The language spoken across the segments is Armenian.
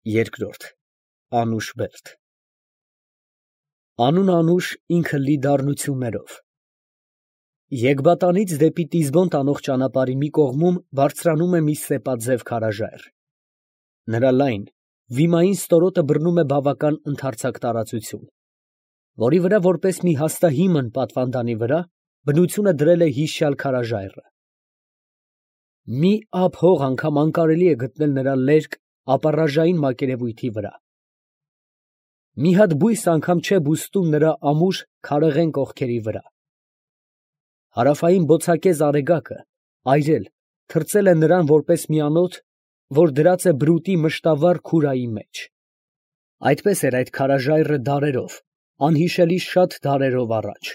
Երկրորդ Անուշբերդ Անուշ ինքը լի դառնություններով։ Եգբատանից դեպի Տիզբոն տանող ճանապարհի մի կողմում բարձրանում է մի սեպաձև քարաժայռ։ Նրա լայն, վիմային ստորոտը բռնում է բավական ընդարձակ տարածություն, որի վրա որպես մի հաստահիմն պատվանդանի վրա բնությունը դրել է հիշյալ քարաժայռը։ Մի ափ հող անգամ անկարելի է գտնել նրա լերկ ապառաժային մակերևույթի վրա։ Մի հատ բույս անգամ չէ բուստում նրա ամուր քարեղեն կողքերի վրա։ Հարավային բոցակեզ արեգակը, այրել, թրծել է նրան որպես մի անոթ, որ դրած է բրուտի մշտավառ քուրայի մեջ։ Այդպես էր այդ քարաժայռը դարերով, անհիշելի շատ դարերով առաջ։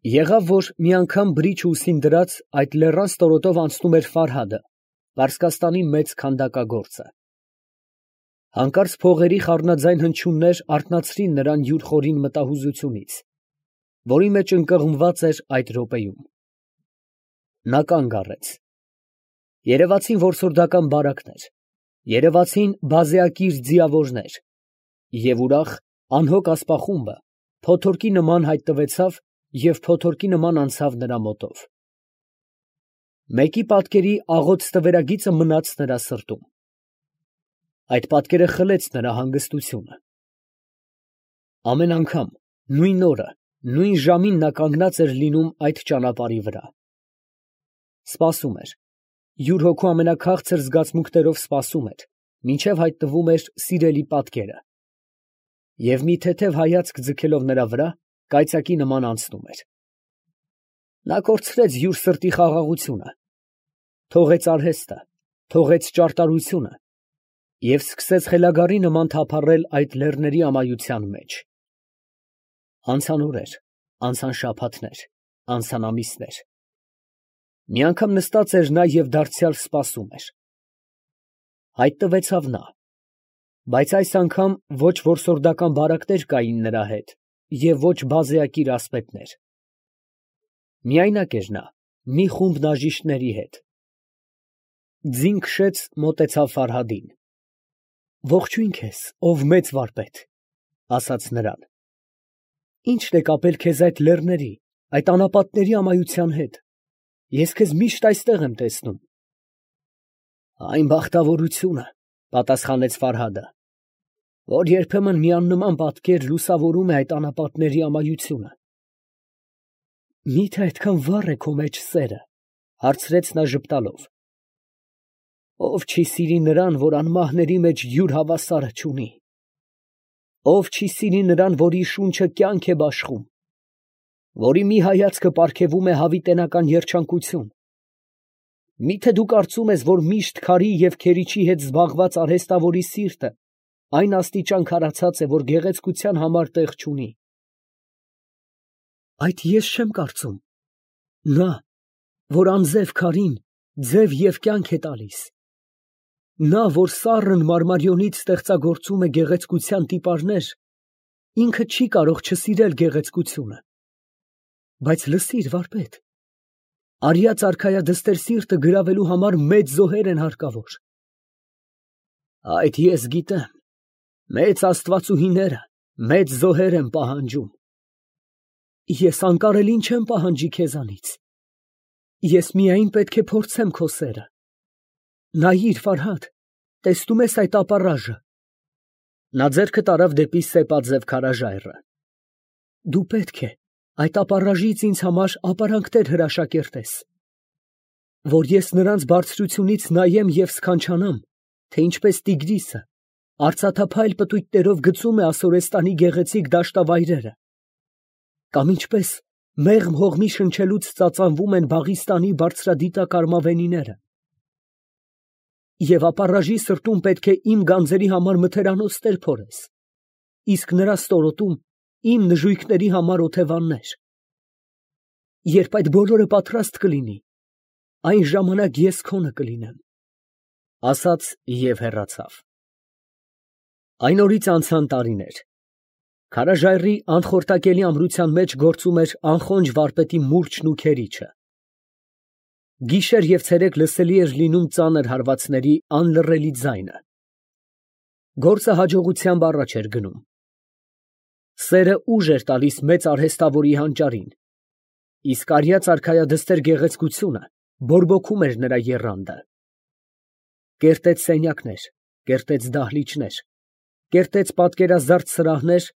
Եղավ, որ մի անգամ բրիչ ուսին դրած այդ լեռան ստորոտով անցնում էր Ֆարհադը, Պարսկաստանի մեծ քանդակագործը։ Հանկարծ փողերի խառնաձայն հնչյուններ արթնացրին նրան յուր խորին մտահուզությունից, որի մեջ ընկղմված էր այդ րոպեում։ Նա կանգ առեց։ Երևացին որսորդական բարակներ, երևացին բազեակիր ձիավորներ, և ուրախ, անհոգ ասպախումբը փոթորկի նման հայտնվեցավ և փոթորկի նման անցավ նրա մոտով։ Մեկի պատկերի աղոտ ստվերագիծը մնաց նրա սրտում։ Այդ պատկերը խլեց նրա հանգստությունը։ Ամեն անգամ, նույն օրը, նույն ժամին նա կանգնած էր լինում այդ ճանապարհի վրա։ Սպասում էր, յուր հոգու ամենաքաղցր զգացմունքներով սպասում էր, մինչև հայտնվում էր սիրելի պատկերը, և մի թեթև հայացք ձգելով նրա վրա, կայծակի նման անցնում էր։ Նա կորցրեց յուր սրտի խաղաղությունը, թողեց արհեստը, թողեց ճարտարությունը և սկսեց խելագարի նման թափառել այդ լեռների ամայության մեջ։ Անցան օրեր, անցան շաբաթներ, անցան ամիսներ։ Մի անգամ նստած էր նա և դարձյալ սպասում էր։ Հայտնվեցավ նա, բայց այս անգամ ոչ որսորդական բարակներ կային նրա հետ և ոչ բազեակիր ասպետներ։ Միայնակ էր նա, մի խումբ բաժիշտների հետ։ Ձին քշեց, մոտեցավ Ֆարհադին։ «Ողջույն քեզ, ով մեծ վարպետ», ֊ ասաց նրան։ «Ի՞նչն է կապել քեզ այդ լեռների, այդ անապատների ամայության հետ. ես քեզ միշտ այստեղ եմ տեսնում»։ «Այն բախտավորությունը, ֊ պատասխանեց Ֆարհադը, ֊ որ երբեմն մի աննման պատկեր լուսավորում է այդ անապատների ամայությունը»։ «Մի՞թե այդքան վառ է քո մեջ սերը, ֊ հարցրեց նա ժպտալով։ Ով չի սիրի նրան, որ անմահների մեջ յուր հավասարը չունի։ Ով չի սիրի նրան, որի շունչը կյանք է բաշխում, որի մի հայացքը պարգևում է հավիտենական երջանկություն։ Մի՞թե դու կարծում ես, որ միշտ քարի և քերիչի հետ զբաղված արհեստավորի սիրտը այն աստիճան քարացած է, որ գեղեցկության համար տեղ չունի։ Այդ ես չեմ կարծում։ Նա, որ անձև քարին ձև և կյանք է տալիս, նա, որ սառն մարմարիոնից ստեղծագործում է գեղեցկության տիպարներ, ինքը չի կարող չսիրել գեղեցկությունը։ Բայց լսիր, վարպետ, արիած արքայադստեր սիրտը գրավելու համար մեծ զոհեր են հարկավոր։ Այդ ես գիտեմ, մեծ աստվածուհիները մեծ զոհեր են պահանջում։ Ես անկարելին չեմ պահանջի քեզանից։ Ես միայն պետք է փորձեմ քո սերը։ Նայիր, Ֆարհադ, տեսնում ես այդ ապառաժը։ Նա ձեռքը տարավ դեպի սեպաձև քարաժայռը։ Դու պետք է այդ ապառաժից ինձ համար ապարանքներ հրաշակերտես, որ ես նրանց բարձրությունից նայեմ և սքանչանամ, թե ինչպես Տիգրիսը արծաթափայլ պտույտներով գծում է Ասորեստանի գեղեցիկ դաշտավայրերը, կամ ինչպես մեղմ հողմի շնչելուց ծածանվում են Բաղիստանի բարձրադիտակ արմավենիները։ Եվ ապառաժի սրտում պետք է իմ գանձերի համար մթերանոց տեր փորես, իսկ նրա ստորոտում իմ նժույգների համար օթևաններ։ Երբ այդ բոլորը պատրաստ կլինի, այն ժամանակ ես քոնը կլինեմ, ասաց և հեռացավ։ Այն օրից անցան տարիներ։ Քարաժայռի անխորտակելի ամրության մեջ գործում էր անխոնջ վարպետի մուրճն ու քերիչը։ Գիշեր և ցերեկ լսելի էր լինում ծանր հարվածների անլռելի ձայնը։ Գործը հաջողությամբ առաջ էր գնում։ Սերը ուժ էր տալիս մեծ արհեստավորի հանճարին, իսկ արյաց արքայադստեր գեղեցկությունը բորբոքում էր նրա եռանդը։ Կերտեց սենյակներ, կերտեց դահլիճներ, կերտեց պատկերազարդ սրահներ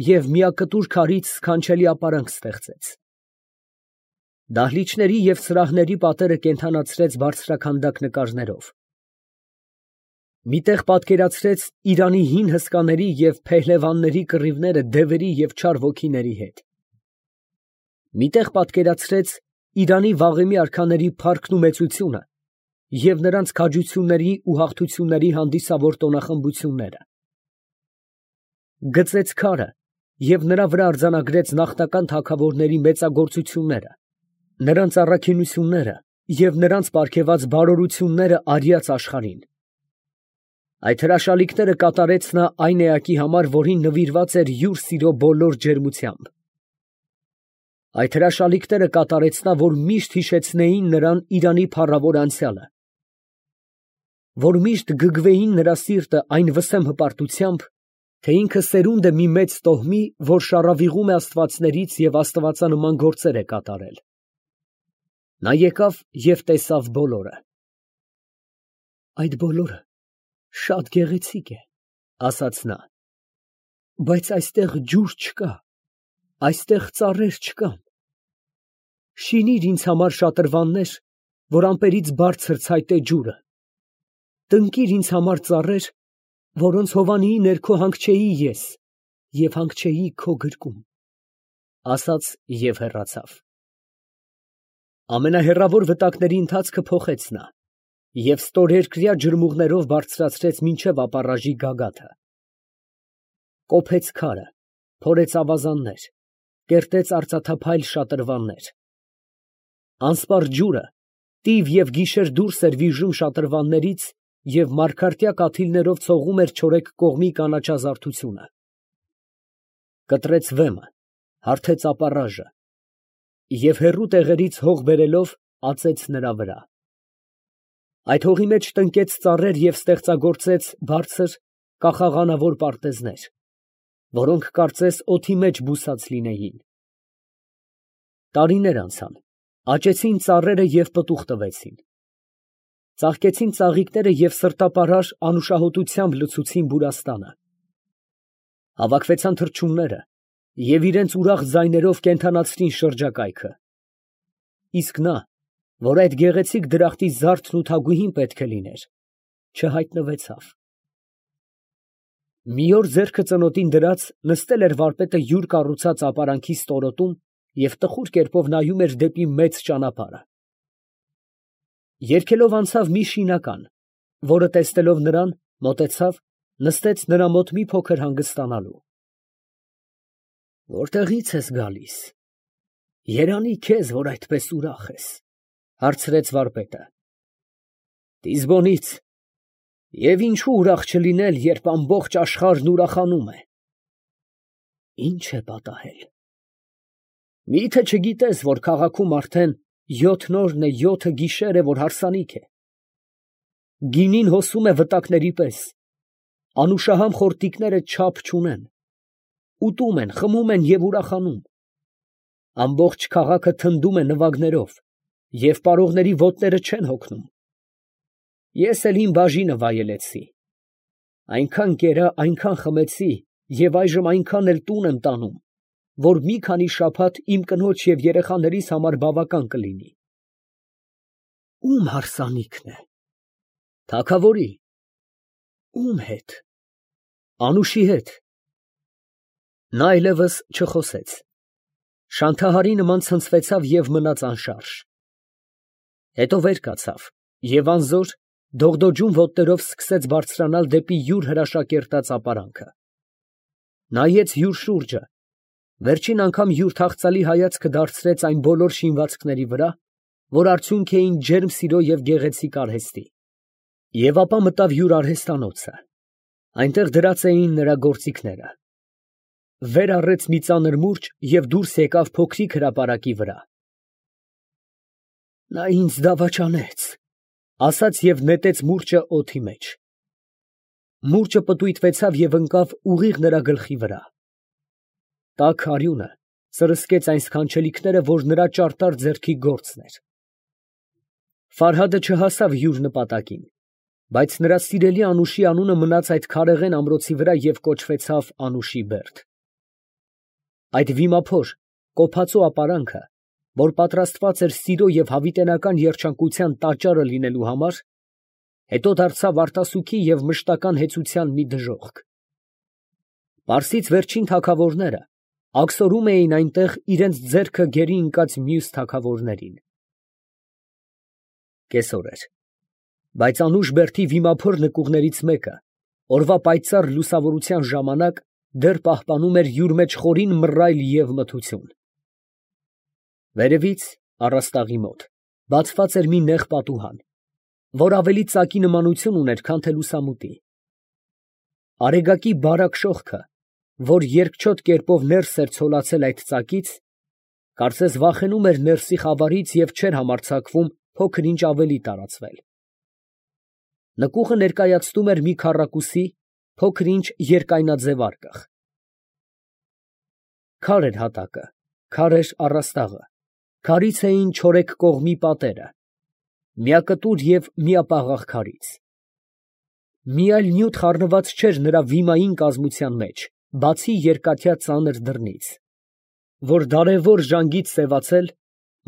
և միակտուր քարից սքանչելի ապարանք ստեղծեց։ Դահլիճների և սրահների պատերը կենդանացրեց բարձրաքանդակ նկարներով։ Մի տեղ պատկերացրեց Իրանի հին հսկաների և փեհլևանների կռիվները դևերի և չար ոգիների հետ։ Մի տեղ պատկերացրեց Իրանի վաղեմի արքաների փառքն ու մեծությունը և նրանց քաջությունների ու հաղթությունների հանդիսավոր տոնախմբությունները։ Գծեց քարը և նրա վրա արձանագրեց նախնական թագավորների մեծագործությունները, նրանց առաքինությունները և նրանց պարգևած բարօրությունները արյաց աշխարհին։ Այդ հրաշալիքները կատարեց նա այն էակի համար, որին նվիրված էր յուր սիրո բոլոր ջերմությամբ։ Այդ հրաշալիքները կատարեց նա, որ միշտ հիշեցնեին նրան Իրանի փառավոր անցյալը, որ միշտ գգվեին նրա սիրտը այն վսեմ հպարտությամբ, թե ինքը սերունդ է մի մեծ տոհմի, որ շառավիղում է աստվածներից և աստվածանման գործեր է կատարել։ Նա եկավ և տեսավ բոլորը։ Այդ բոլորը շատ գեղեցիկ է, ասաց նա, բայց այստեղ ջուր չկա, այստեղ ծառեր չկան։ Շինիր ինձ համար շատրվաններ, որ ամպերից բարձր ցայտե ջուրը, տնկիր ինձ համար ծառեր, որոնց հովանիի ներքո հանգչեի ես և հանգչեի քո գրկում, ասաց և հեռացավ։ Ամենահեռավոր վտակների ընթացքը փոխեց նա և ստորերկրյա ջրմուղներով բարձրացրեց մինչև ապառաժի գագաթը։ Կոփեց քարը, փորեց ավազաններ, կերտեց արծաթափայլ շատրվաններ։ Անսպառ ջուրը տիվ և գիշեր դուրս էր վիժում շատրվաններից և մարգարտյա կաթիլներով ցողում էր չորեկ կողմի կանաչազարդությունը։ Կտրեց վեմը, հարթեց ապառաժը և հեռու տեղերից հող բերելով ածեց նրա վրա։ Այդ հողի մեջ տնկեց ծառեր և ստեղծագործեց բարձր, կախաղանավոր պարտեզներ, որոնք կարծես օդի մեջ բուսած լինեին։ Տարիներ անցան, աճեցին ծառերը և պտուղ տվեցին։ Ծաղկեցին ծաղիկները և սրտապարար անուշահոտությամբ լցուցին բուրաստանը։ Հավաքվեցան թռչունները և իրանց ուրախ ձայներով կենդանացրին շրջակայքը։ Իսկ նա, որ այդ գեղեցիկ դրախտի զարդն ու թագուհին պետք է լիներ, չհայտնվեցավ։ Մի օր ձեռքը ծնոտին դրած նստել էր վարպետը յուր կառուցած ապարանքի ստորոտում և տխուր կերպով նայում էր դեպի մեծ ճանապարհը։ Երգելով անցավ մի շինական, որը տեսնելով նրան, մոտեցավ, նստեց նրա մոտ մի փոքր հանգստանալու։ «Որտեղի՞ց ես գալիս, երանի քեզ, որ այդպես ուրախ ես», ֊ հարցրեց վարպետը։ ֊ Տիզբոնից, և ինչու ուրախ չլինել, երբ ամբողջ աշխարհն ուրախանում է։ ֊ Ի՞նչ է պատահել։ ֊ Մի՞թե չգիտես, որ քաղաքում արդեն 7 օրն է, 7 գիշեր է, որ հարսանիք է։ Գինին հոսում է վտակների պես, անուշահամ խորտիկները չափ չունեն, ուտում են, խմում են և ուրախանում։ Ամբողջ քաղաքը թնդում է նվագներով, և պարողների ոտները չեն հոգնում։ Ես էլ իմ բաժինը վայելեցի, այնքան կերա, այնքան խմեցի և այժմ այնքան էլ տուն եմ տանում, որ մի քանի շաբաթ իմ կնոջ և երեխաներիս համար բավական կլինի։ ֊ Ո՞ւմ հարսանիքն է։ ֊ Թագավորի։ ֊ Ո՞ւմ հետ։ ֊ Անուշի հետ։ Նա այլևս չխոսեց, շանթահարի նման ցնցվեցավ և մնաց անշարժ։ Հետո վեր կացավ և անզոր դողդոջուն ոտներով սկսեց բարձրանալ դեպի յուր հրաշակերտած ապարանքը։ Նայեց յուր շուրջը, վերջին անգամ յուր թախծալի հայացքը դարձրեց այն բոլոր շինվածքների վրա, որ արդյունք էին ջերմ սիրո և գեղեցիկ արհեստի, և ապա մտավ յուր արհեստանոցը, այնտեղ դրած էին նրա գործիքները։ Վեր առեց մի ծանր մուրճ և դուրս եկավ փոքրիկ հրապարակի վրա։ Նա ինձ դավաճանեց, ասաց և նետեց մուրճը օդի մեջ։ Մուրճը պտույտվեցավ և ընկավ ուղիղ նրա գլխի վրա։ Տաք արյունը սրսկեց այն սքանչելիքները, որ նրա ճարտար ձեռքի գործն էր։ Ֆարհադը չհասավ յուր նպատակին, բայց նրա սիրելի անուշի անունը մնաց այդ քարեղեն ամրոցի վրա և կոչվեցավ Անուշիբերդ։ Այդ վիմափոր, կոփածո ապարանքը, որ պատրաստված էր սիրո և հավիտենական երջանկության տաճարը լինելու համար, հետո դարձավ արտասուքի և մշտական հեծության մի դժոխք։ Պարսից վերջին թագավորները աքսորում էին այնտեղ իրենց ձեռքը գերի ընկած մյուս թագավորներին։ Կեսօր էր, բայց Անուշբերդի վիմափոր նկուղներից մեկը օրվա պայծառ լուսավորության ժամանակ դեռ պահպանում էր յուր մեջ խորին մռայլ և մթություն։ Վերևից, առաստաղի մոտ, բացված էր մի նեղ պատուհան, որ ավելի ծակի նմանություն ուներ, քան թե լուսամուտի։ Արեգակի բարակ շողքը, որ երկչոտ կերպով ներս էր ցոլացել այդ ծակից, կարծես վախենում էր ներսի խավարից և չէր համարձակվում փոքր ինչ ավելի տարածվել։ Նկուղը ներկայացնում էր մի քառակուսի, փոքր ինչ երկայնաձև արկղ։ Քար էր հատակը, քար էր առաստաղը, քարից էին չորեքք կողմի պատերը, միակտուր և միապաղաղ քարից։ Մի այլ նյութ խառնված չէր նրա վիմային կազմության մեջ, բացի երկաթյա ծանր դռնից, որ դարևոր ժանգից սևացել,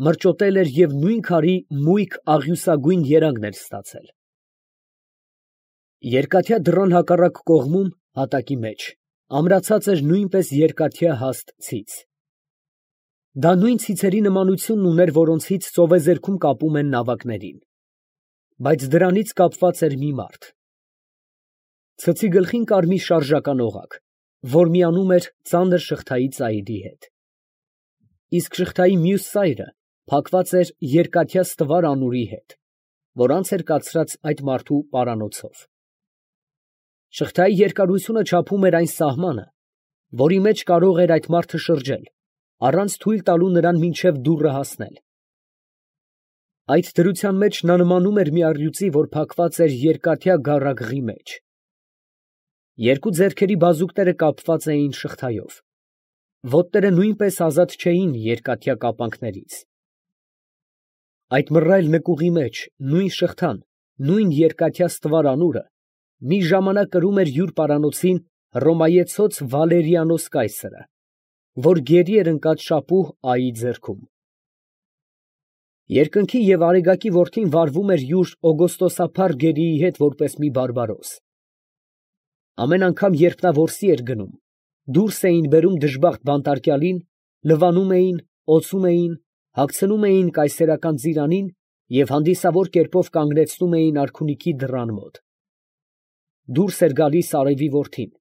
մրճոտել էր և նույն քարի մույկ աղյուսագույն երանգն էր ստացել։ Երկաթյա դռան հակառակ կողմում, հատակի մեջ, ամրացած էր նույնպես երկաթյա հաստ ցից։ Դա նույն ցիցերի նմանությունն ուներ, որոնցից ծովեզերքում կապում են նավակներին, բայց դրանից կապված էր մի մարդ։ Ցցի գլխին կար մի շարժական օղակ, որ միանում էր ծանր շղթայի ծայրի հետ, իսկ շղթայի մյուս ծայրը փակված էր երկաթյա ստվար անուրի հետ, որ անց էր կացրած այդ մարդու պարանոցով։ Շղթայի երկարությունը չափում էր այն սահմանը, որի մեջ կարող էր այդ մարդը շրջել, առանց թույլ տալու նրան մինչև դուռը հասնել։ Այդ դրության մեջ նա նմանում էր մի առյուծի, որ փակված էր երկաթյա գառագրի մեջ։ Երկու ձեռքերի բազուկները կապված էին շղթայով, ոտները նույնպես ազատ չէին երկաթյա կապանքներից։ Այդ մռայլ նկուղի մեջ նույն շղթան, նույն երկաթյա ստվար անուրը մի ժամանակ կրում էր յուր պարանոցին Հռոմայեցոց Վալերիանոս կայսրը, որ գերի էր ընկած շապուհ Այի ձեռքում։ Երկնքի և արեգակի որդին վարվում էր յուր օգոստոսափառ գերիի հետ որպես մի բարբարոս։ Ամեն անգամ, երբ նա որսի էր գնում, դուրս էին բերում դժբախտ բանտարկյալին, լվանում էին, օծում էին, հագցնում էին կայսերական ծիրանին և հանդիսավոր կերպով կանգնեցնում էին արքունիքի դռան մոտ։ Դուրս էր գալիս արևի որդին,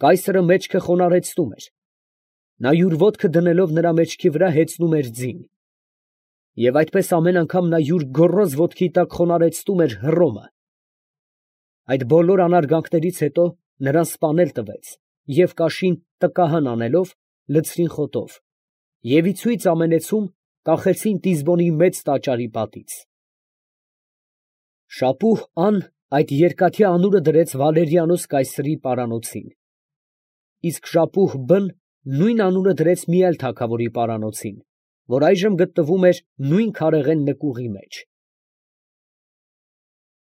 կայսրը մեջքը խոնարհեցնում էր, նա յուր ոտքը դնելով նրա մեջքի վրա հեծնում էր ձին, և այդպես ամեն անգամ նա յուր գոռոզ ոտքի տակ խոնարհեցնում էր Հռոմը։ Այդ բոլոր անարգանքներից հետո նրան սպանել տվեց և կաշին տկահան անելով, լցրին խոտով, և ի ցույց ամենեցում կախեցին Տիզբոնի մեծ տաճարի պատից։ Շապուհ Ան այդ երկաթյա անուրը դրեց Վալերիանոս կայսրի պարանոցին, իսկ շապուհ Բ֊ն նույն անունը դրեց մի այլ թագավորի պարանոցին, որ այժմ գտնվում էր նույն քարեղեն նկուղի մեջ։